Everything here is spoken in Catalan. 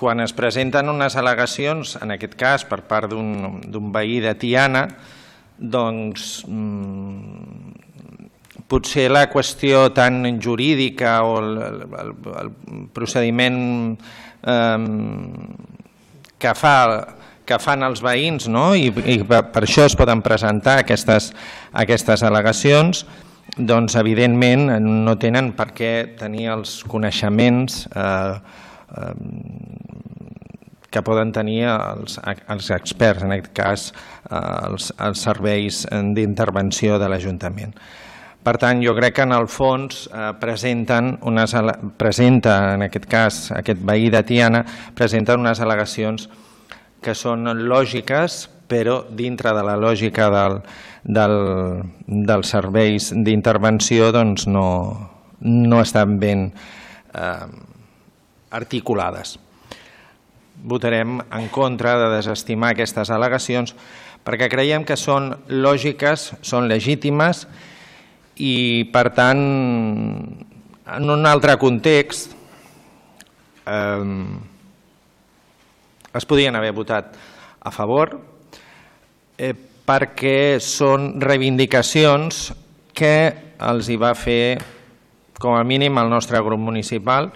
quan es presenten unes al·legacions, en aquest cas per part d'un veí de Tiana, doncs potser la qüestió tan jurídica o el procediment que fan els veïns, i per això es poden presentar aquestes al·legacions, doncs evidentment no tenen per què tenir els coneixements que poden tenir els experts, en aquest cas els serveis d'intervenció de l'Ajuntament. Per tant, jo crec que en el fons presenta, en aquest cas, aquest veí de Tiana, presenta unes al·legacions que són lògiques, però dintre de la lògica dels serveis d'intervenció no estan ben articulades. Votarem en contra de desestimar aquestes al·legacions perquè creiem que són lògiques, són legítimes i, per tant, en un altre context es podien haver votat a favor perquè són reivindicacions que els hi va fer com a mínim el nostre grup municipal